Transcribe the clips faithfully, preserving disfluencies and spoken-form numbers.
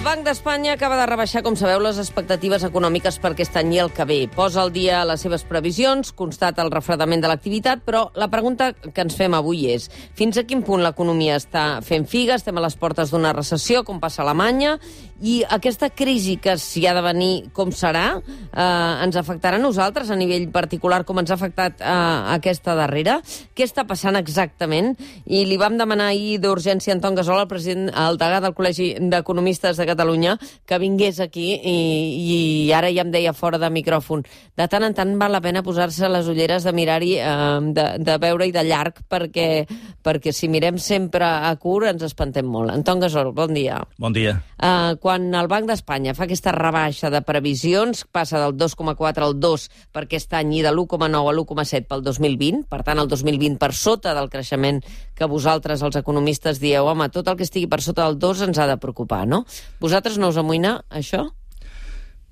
Banc d'Espanya acaba de rebaixar, com sabeu, les expectatives econòmiques per aquest any i el que ve. Posa al dia les seves previsions, constata el refredament de l'activitat, però la pregunta que ens fem avui és fins a quin punt l'economia està fent figa, estem a les portes d'una recessió, com passa a Alemanya, i aquesta crisi que s'hi ha de venir com serà, eh, ens afectarà a nosaltres a nivell particular com ens ha afectat eh, aquesta darrera? Què està passant exactament? I li vam demanar ahir d'urgència a Anton Gasol, el president, el degà del Col·legi d'Economistes de Catalunya, que vingués aquí i, i ara ja em deia fora de micròfon. De tant en tant val la pena posar-se les ulleres de mirar-hi, eh, de, de veure-hi de llarg, perquè, perquè si mirem sempre a curt ens espantem molt. Anton Gasol, bon dia. Bon dia. Eh, quan el Banc d'Espanya fa aquesta rebaixa de previsions, passa del dos coma quatre al dos per aquest any i de l'u coma nou a l'u coma set pel dos mil vint, per tant el dos mil vint per sota del creixement que vosaltres, els economistes, dieu, home, tot el que estigui per sota del dos ens ha de preocupar, no? Vosaltres no us amoïna, això?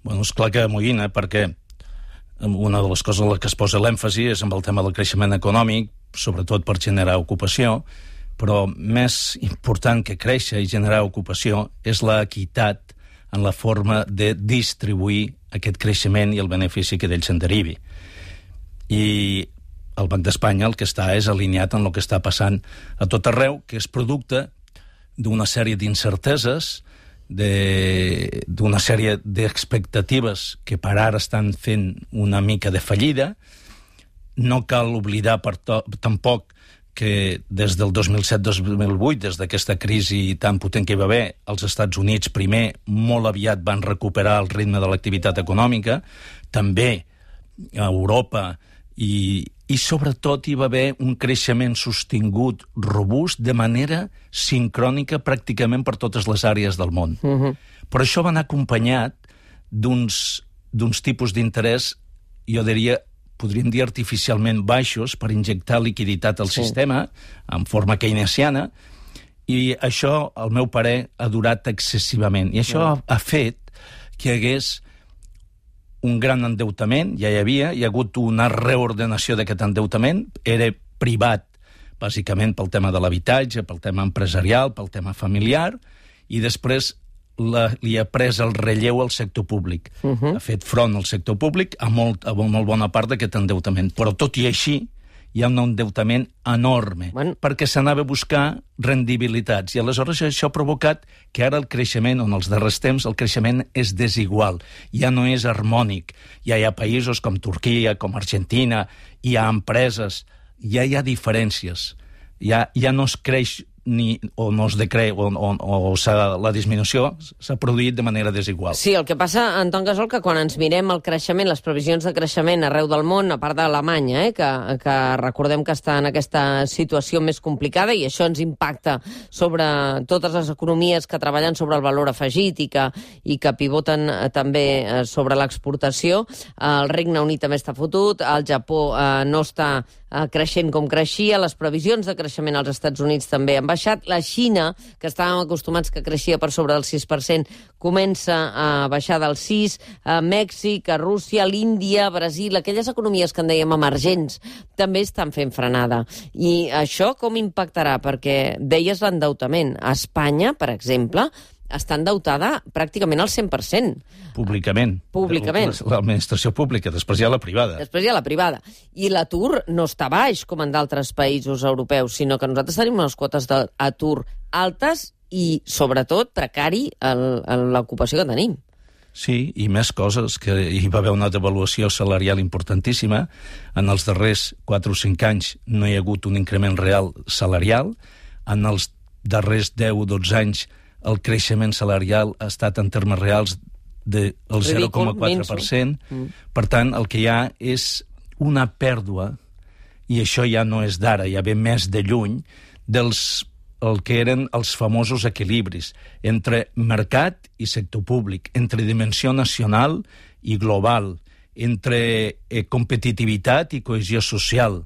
Bueno, és clar que amoïna, perquè una de les coses en les que es posa l'èmfasi és amb el tema del creixement econòmic, sobretot per generar ocupació, però més important que créixer i generar ocupació és l'equitat en la forma de distribuir aquest creixement i el benefici que d'ell se'n derivi. I el Banc d'Espanya el que està és alineat en el que està passant a tot arreu, que és producte d'una sèrie d'incerteses, d'una sèrie d'expectatives que per ara estan fent una mica de fallida. No cal oblidar per to, tampoc que des del dos mil set dos mil vuit, des d'aquesta crisi tan potent que hi va haver, els Estats Units primer molt aviat van recuperar el ritme de l'activitat econòmica, també a Europa, i, i sobretot hi va haver un creixement sostingut, robust, de manera sincrònica pràcticament per totes les àrees del món. Uh-huh. Però això va anar acompanyat d'uns d'uns tipus d'interès, jo diria, podríem dir artificialment baixos, per injectar liquiditat al sí. sistema, en forma keynesiana, i això, al meu parer, ha durat excessivament. I això uh-huh. ha, ha fet que hi hagués un gran endeutament, ja hi havia, hi ha hagut una reordenació d'aquest endeutament, era privat, bàsicament pel tema de l'habitatge, pel tema empresarial, pel tema familiar, i després la, li ha pres el relleu al sector públic. Uh-huh. Ha fet front al sector públic a molt, a molt bona part d'aquest endeutament. Però tot i així, hi ha un endeutament enorme, bueno. perquè s'anava a buscar rendibilitats. I aleshores això ha provocat que ara el creixement, en els darrers temps, el creixement és desigual, ja no és harmònic. Ja hi ha països com Turquia, com Argentina, hi ha empreses, ja hi ha diferències. Ja, ja no es creix ni, o no es decreix, o, o, o la disminució s'ha produït de manera desigual. Sí, el que passa, Anton Gasol, que quan ens mirem el creixement, les previsions de creixement arreu del món, a part d'Alemanya, eh, que, que recordem que està en aquesta situació més complicada, i això ens impacta sobre totes les economies que treballen sobre el valor afegit i que, i que pivoten eh, també eh, sobre l'exportació. El Regne Unit també està fotut, el Japó eh, no està eh, creixent com creixia, les previsions de creixement als Estats Units també han baixat. La Xina, que estàvem acostumats que creixia per sobre del sis per cent, comença a baixar del sis, a Mèxic, a Rússia, a l'Índia, a Brasil, aquelles economies que en dèiem emergents, també estan fent frenada. I això com impactarà? Perquè deies l'endeutament. A Espanya, per exemple, està endeutada pràcticament al cent per cent. Públicament. Públicament. L'administració pública, després hi ha la privada. Després hi ha la privada. I l'atur no està baix, com en d'altres països europeus, sinó que nosaltres tenim unes quotes d'atur altes i, sobretot, precari en l'ocupació que tenim. Sí, i més coses, que hi va haver una devaluació salarial importantíssima. En els darrers quatre o cinc anys no hi ha hagut un increment real salarial. En els darrers deu o dotze anys el creixement salarial ha estat en termes reals del zero coma quatre per cent. Mm. Per tant, el que hi ha és una pèrdua, i això ja no és d'ara, ja ve més de lluny, dels el que eren els famosos equilibris entre mercat i sector públic, entre dimensió nacional i global, entre eh, competitivitat i cohesió social.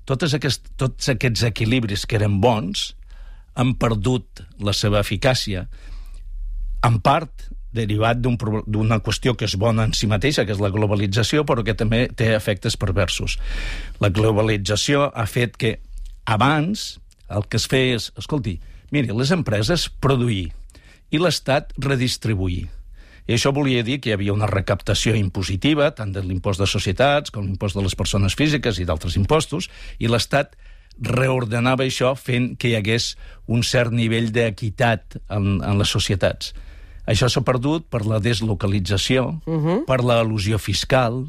Totes aquest, tots aquests equilibris que eren bons han perdut la seva eficàcia, en part derivat d'una qüestió que és bona en si mateixa, que és la globalització, però que també té efectes perversos. La globalització ha fet que abans el que es feia és, escolti, miri, les empreses produir i l'Estat redistribuir. I això volia dir que hi havia una recaptació impositiva, tant de l'impost de societats com l'impost de les persones físiques i d'altres impostos, i l'Estat reordenava això fent que hi hagués un cert nivell d'equitat en, en les societats. Això s'ha perdut per la deslocalització, uh-huh. per l'elusió fiscal,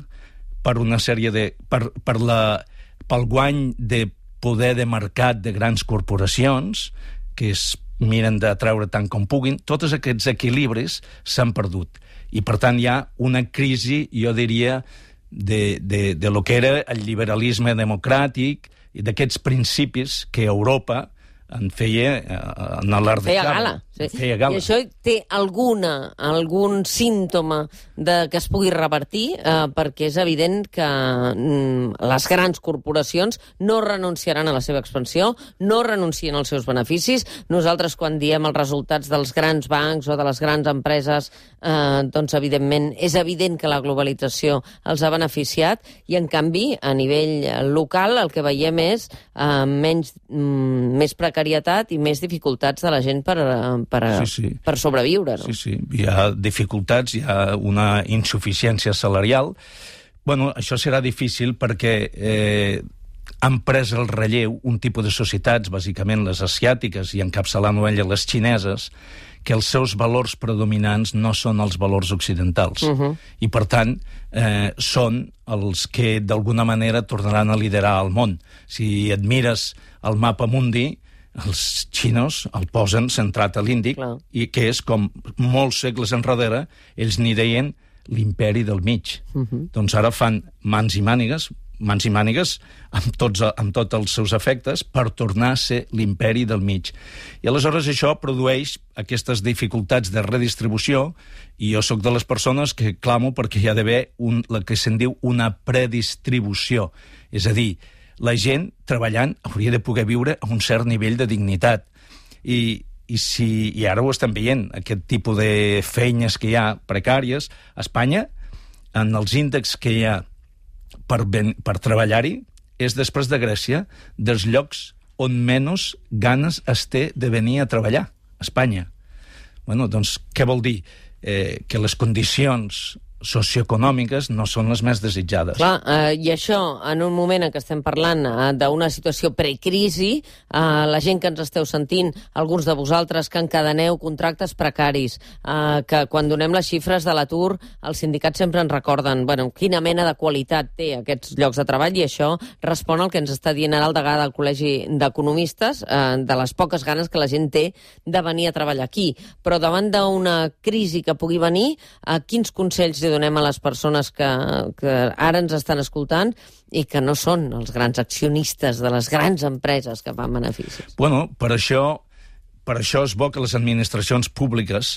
per una sèrie de... per, per la, pel guany de poder de mercat de grans corporacions, que es miren de treure tant com puguin. Tots aquests equilibris s'han perdut. I, per tant, hi ha una crisi, jo diria, de, de, de lo que era el liberalisme democràtic i d'aquests principis que Europa en feia en l'art de feia gala, sí. feia gala. I això té alguna, algun símptoma de que es pugui revertir, eh, perquè és evident que mm, les grans corporacions no renunciaran a la seva expansió, no renuncien als seus beneficis. Nosaltres, quan diem els resultats dels grans bancs o de les grans empreses, eh, doncs, evidentment, és evident que la globalització els ha beneficiat, i, en canvi, a nivell local, el que veiem és eh, menys, mm, més precarietat i més dificultats de la gent per, per, sí, sí. per sobreviure. No? Sí, sí. Hi ha dificultats, hi ha una insuficiència salarial. Bueno, això serà difícil perquè eh, han pres el relleu un tipus de societats, bàsicament les asiàtiques i encapçalant-ho elles les xineses, que els seus valors predominants no són els valors occidentals. Uh-huh. I, per tant, eh, són els que, d'alguna manera, tornaran a liderar el món. Si admires el mapa mundi, els xinos el posen centrat a l'Índic, Clar. i que és com molts segles enrere ells n'hi deien l'imperi del mig. Uh-huh. Doncs ara fan mans i mànigues, mans i mànigues amb tots, amb tots els seus efectes per tornar a ser l'imperi del mig. I aleshores això produeix aquestes dificultats de redistribució, i jo sóc de les persones que clamo perquè hi ha d'haver un, el que se'n diu una predistribució. És a dir, la gent treballant hauria de poder viure a un cert nivell de dignitat. I, i, si, i ara ho estem veient, aquest tipus de feines que hi ha precàries. A Espanya, en els índexs que hi ha per, ben, per treballar-hi, és, després de Grècia, dels llocs on menys ganes es té de venir a treballar, a Espanya. Bueno, doncs, què vol dir? Eh, que les condicions socioeconòmiques no són les més desitjades. Clar, eh, i això, en un moment en què estem parlant eh, d'una situació precrisi, eh, la gent que ens esteu sentint, alguns de vosaltres que encadeneu contractes precaris, eh, que quan donem les xifres de l'atur, els sindicats sempre ens recorden, bueno, quina mena de qualitat té aquests llocs de treball, i això respon al que ens està dient ara el degà del Col·legi d'Economistes, eh, de les poques ganes que la gent té de venir a treballar aquí. Però davant d'una crisi que pugui venir, eh, quins consells li donem a les persones que, que ara ens estan escoltant i que no són els grans accionistes de les grans empreses que fan beneficis? Bueno, per això, per això és bo que les administracions públiques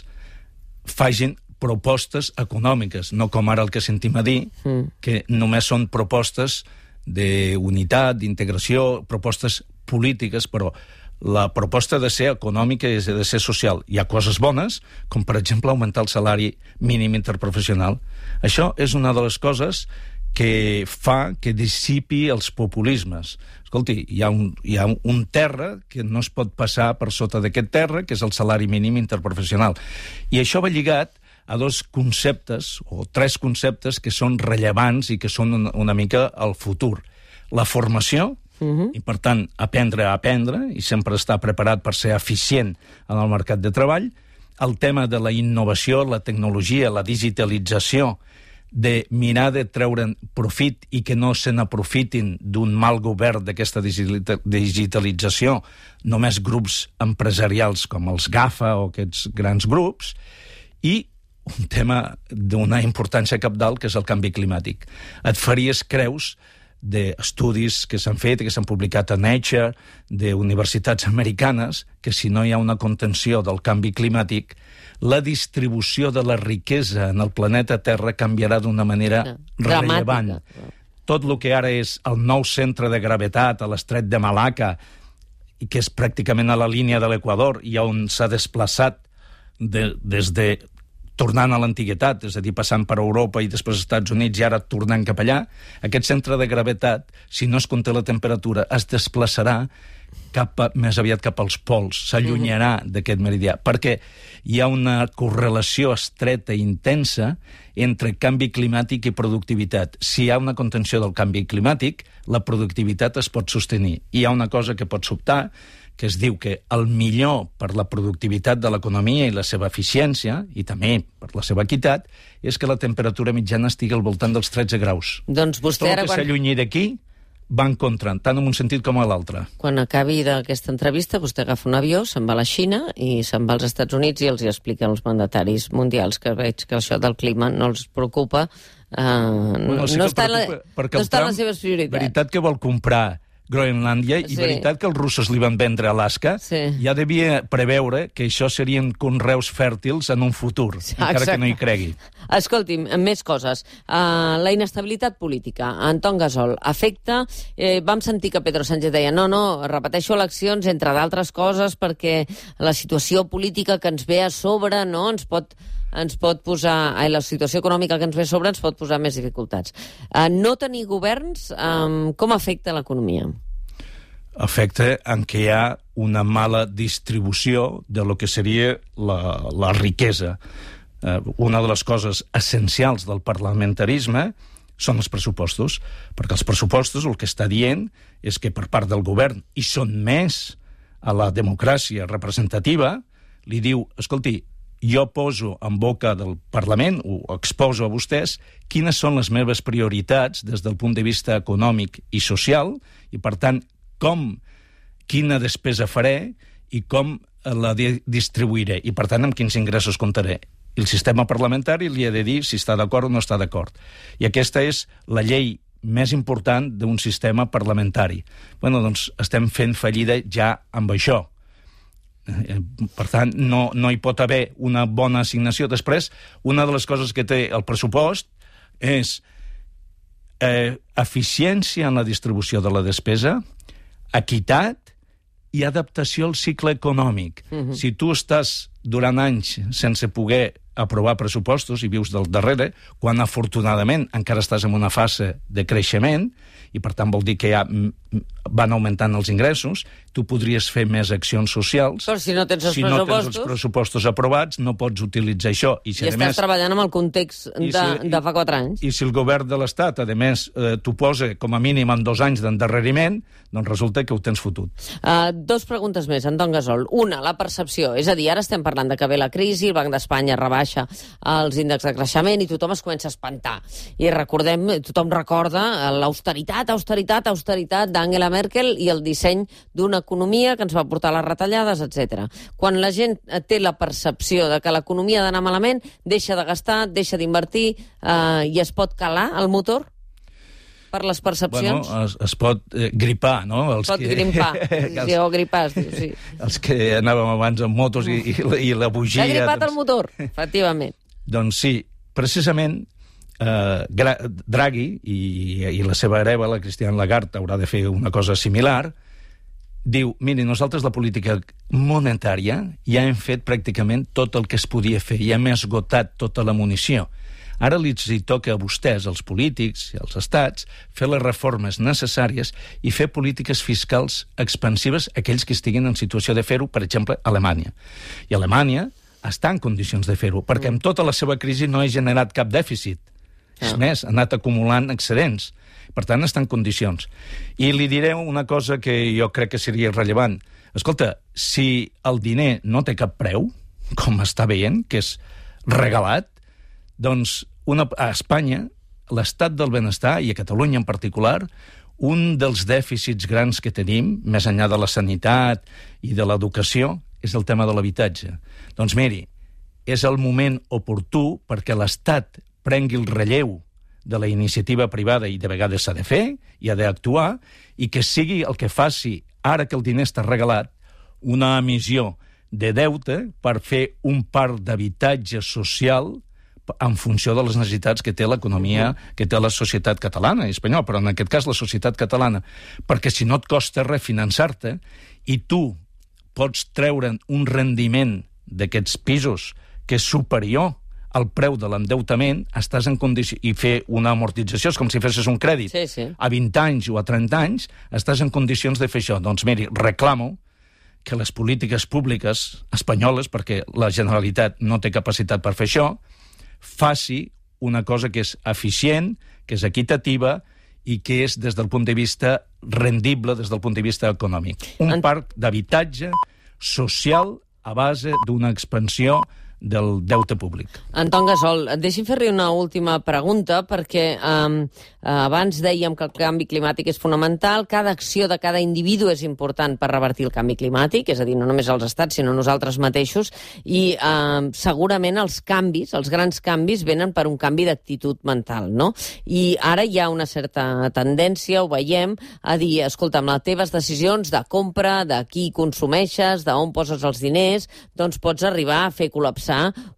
facin propostes econòmiques, no com ara el que sentim a dir, mm. que només són propostes d'unitat, d'integració, propostes polítiques, però la proposta ha de ser econòmica i ha de ser social. Hi ha coses bones, com per exemple augmentar el salari mínim interprofessional. Això és una de les coses que fa que dissipi els populismes. Escolti, hi ha un, hi ha un terra que no es pot passar per sota d'aquest terra, que és el salari mínim interprofessional. I això va lligat a dos conceptes, o tres conceptes, que són rellevants i que són una, una mica el futur. La formació, Uh-huh. i, per tant, aprendre a aprendre i sempre estar preparat per ser eficient en el mercat de treball. El tema de la innovació, la tecnologia, la digitalització, de mirar de treure profit i que no se n'aprofitin d'un mal govern d'aquesta digitalització només grups empresarials com els GAFA o aquests grans grups, i un tema d'una importància cabdal, que és el canvi climàtic. Et faries creus d'estudis que s'han fet, que s'han publicat a Nature, d'universitats americanes, que si no hi ha una contenció del canvi climàtic, la distribució de la riquesa en el planeta Terra canviarà d'una manera no, rellevant. Dramàtica. Tot el que ara és el nou centre de gravetat a l'estret de Malacca, i que és pràcticament a la línia de l'Equador, i on s'ha desplaçat de, des de tornant a l'antiguitat, és a dir, passant per Europa i després als Estats Units i ara tornant cap allà, aquest centre de gravetat, si no es conté la temperatura, es desplaçarà cap a, més aviat cap als pols, s'allunyarà uh-huh. d'aquest meridià, perquè hi ha una correlació estreta i intensa entre canvi climàtic i productivitat. Si hi ha una contenció del canvi climàtic, la productivitat es pot sostenir. I hi ha una cosa que pot sobtar, que es diu que el millor per la productivitat de l'economia i la seva eficiència, i també per la seva equitat, és que la temperatura mitjana estigui al voltant dels tretze graus. Doncs vostè Tot ara... el que quan... s'allunyi d'aquí va en contra, tant en un sentit com a l'altre. Quan acabi d'aquesta entrevista, vostè agafa un avió, se'n va a la Xina i se'n va als Estats Units i els hi explica als mandataris mundials que veig que això del clima no els preocupa. Uh, bueno, sí no, està la, no està en les seves prioritats. Veritat que vol comprar Groenlàndia, i sí. veritat que els russos li van vendre Alaska, sí. ja devia preveure que això serien conreus fèrtils en un futur, sí, encara exacte. Que no hi cregui. Escolti'm, més coses. Uh, la inestabilitat política. Anton Gasol, afecta... Eh, vam sentir que Pedro Sánchez deia no, no, repeteixo eleccions, entre d'altres coses, perquè la situació política que ens ve a sobre no ens pot... ens pot posar, eh, la situació econòmica que ens ve a sobre ens pot posar més dificultats. Uh, no tenir governs, um, com afecta l'economia? Afecta en què hi ha una mala distribució de lo que seria la, la riquesa. Uh, una de les coses essencials del parlamentarisme són els pressupostos, perquè els pressupostos el que està dient és que per part del govern, i són més a la democràcia representativa, li diu, escolti, jo poso en boca del Parlament, o exposo a vostès, quines són les meves prioritats des del punt de vista econòmic i social, i per tant, com, quina despesa faré i com la distribuiré, i per tant, amb quins ingressos comptaré. I el sistema parlamentari li ha de dir si està d'acord o no està d'acord. I aquesta és la llei més important d'un sistema parlamentari. Bueno, doncs estem fent fallida ja amb això. Per tant, no, no hi pot haver una bona assignació. Després, una de les coses que té el pressupost és eh, eficiència en la distribució de la despesa, equitat i adaptació al cicle econòmic. Uh-huh. Si tu estàs durant anys sense poder aprovar pressupostos i vius del darrere, quan afortunadament encara estàs en una fase de creixement, i per tant vol dir que ja van augmentant els ingressos, tu podries fer més accions socials. Però si no tens els si pressupostos... no tens els pressupostos aprovats, no pots utilitzar això. I, si I estàs més, treballant amb el context de, si, de fa quatre anys. I si el govern de l'Estat, a més, eh, t'ho posa com a mínim en dos anys d'endarreriment, doncs resulta que ho tens fotut. Uh, dos preguntes més, Anton Gasol. Una, la percepció. És a dir, ara estem parlant de que ve la crisi, el Banc d'Espanya rebaixa els índexs de creixement i tothom es comença a espantar. I recordem, tothom recorda l'austeritat, austeritat, austeritat d'Angela Merkel i el disseny d'una economia que ens va portar a les retallades, etcètera. Quan la gent té la percepció de que l'economia ha d'anar malament, deixa de gastar, deixa d'invertir eh, i es pot calar el motor per les percepcions? Bueno, es, es pot eh, gripar, no? Els pot que... gripar, sí, o gripar, es diu, sí. Els que anàvem abans amb motos i, i, i la bugia... S'ha gripat doncs... el motor, efectivament. Doncs sí, precisament eh, Draghi i, i la seva hereva, la Christine Lagarde, haurà de fer una cosa similar. Diu, miri, nosaltres la política monetària ja hem fet pràcticament tot el que es podia fer, ja hem esgotat tota la munició. Ara li toca a vostès, els polítics i els estats, fer les reformes necessàries i fer polítiques fiscals expansives a aquells que estiguin en situació de fer-ho, per exemple, Alemanya. I Alemanya està en condicions de fer-ho, perquè amb tota la seva crisi no ha generat cap dèficit. És més, ha anat acumulant excedents. Per tant, està en condicions. I li diré una cosa que jo crec que seria rellevant. Escolta, si el diner no té cap preu, com està veient, que és regalat, doncs una, a Espanya, l'estat del benestar, i a Catalunya en particular, un dels dèficits grans que tenim, més enllà de la sanitat i de l'educació, és el tema de l'habitatge. Doncs miri, és el moment oportú perquè l'Estat prengui el relleu de la iniciativa privada, i de vegades s'ha de fer, i ha d'actuar, i que sigui el que faci, ara que el diner està regalat, una emissió de deute per fer un parc d'habitatge social en funció de les necessitats que té l'economia, que té la societat catalana i espanyola, però en aquest cas la societat catalana, perquè si no et costa refinançar-te i tu pots treure'n un rendiment d'aquests pisos que és superior el preu de l'endeutament, estàs en condició... i fer una amortització, és com si fessis un crèdit. Sí, sí. A vint anys o a trenta anys, estàs en condicions de fer això. Doncs miri, reclamo que les polítiques públiques espanyoles, perquè la Generalitat no té capacitat per fer això, faci una cosa que és eficient, que és equitativa i que és, des del punt de vista rendible, des del punt de vista econòmic. Un parc d'habitatge social a base d'una expansió del deute públic. Anton Gasol, deixi'm fer-li una última pregunta, perquè eh, abans dèiem que el canvi climàtic és fonamental, cada acció de cada individu és important per revertir el canvi climàtic, és a dir, no només els estats, sinó nosaltres mateixos, i eh, segurament els canvis, els grans canvis, venen per un canvi d'actitud mental, no? I ara hi ha una certa tendència, ho veiem, a dir, escolta, amb les teves decisions de compra, de qui consumeixes, d'on poses els diners, doncs pots arribar a fer col·lapsar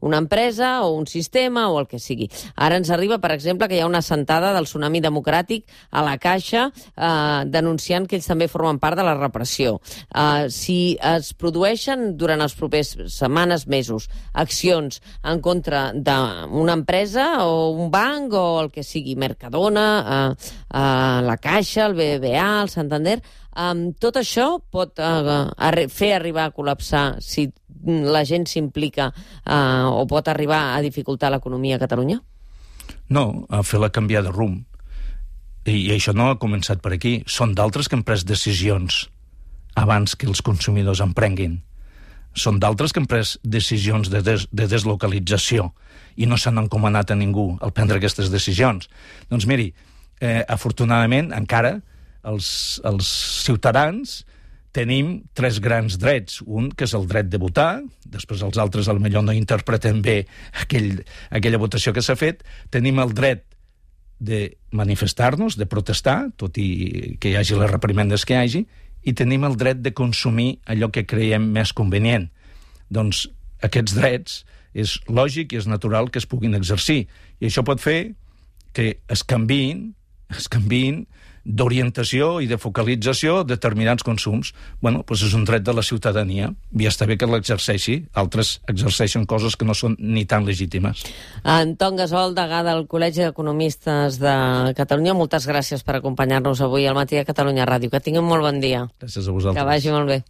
una empresa o un sistema o el que sigui. Ara ens arriba, per exemple, que hi ha una assentada del tsunami democràtic a la Caixa eh, denunciant que ells també formen part de la repressió. Eh, si es produeixen durant els propers setmanes, mesos, accions en contra d'una empresa o un banc o el que sigui, Mercadona, eh, eh, la Caixa, el B B V A, el Santander, Um, tot això pot uh, arri fer arribar a col·lapsar si la gent s'implica uh, o pot arribar a dificultar l'economia a Catalunya? No, a fer-la canviar de rumb. I, I això no ha començat per aquí. Són d'altres que han pres decisions abans que els consumidors en prenguin. Són d'altres que han pres decisions de, des de deslocalització i no s'han encomanat a ningú al prendre aquestes decisions. Doncs miri, eh, afortunadament, encara, els, els ciutadans tenim tres grans drets. Un, que és el dret de votar, després els altres potser no interpreten bé aquell, aquella votació que s'ha fet. Tenim el dret de manifestar-nos, de protestar, tot i que hi hagi les reprimendes que hi hagi, i tenim el dret de consumir allò que creiem més convenient. Doncs aquests drets és lògic i és natural que es puguin exercir. I això pot fer que es canviïn, es canviïn d'orientació i de focalització determinats consums. Bueno, doncs és un dret de la ciutadania i està bé que l'exerceixi. Altres exerceixen coses que no són ni tan legítimes. Anton Gasol, degà del Col·legi d'Economistes de Catalunya, moltes gràcies per acompanyar-nos avui al Matí de Catalunya Ràdio. Que tinguin molt bon dia. Gràcies a vosaltres. Que vagi molt bé.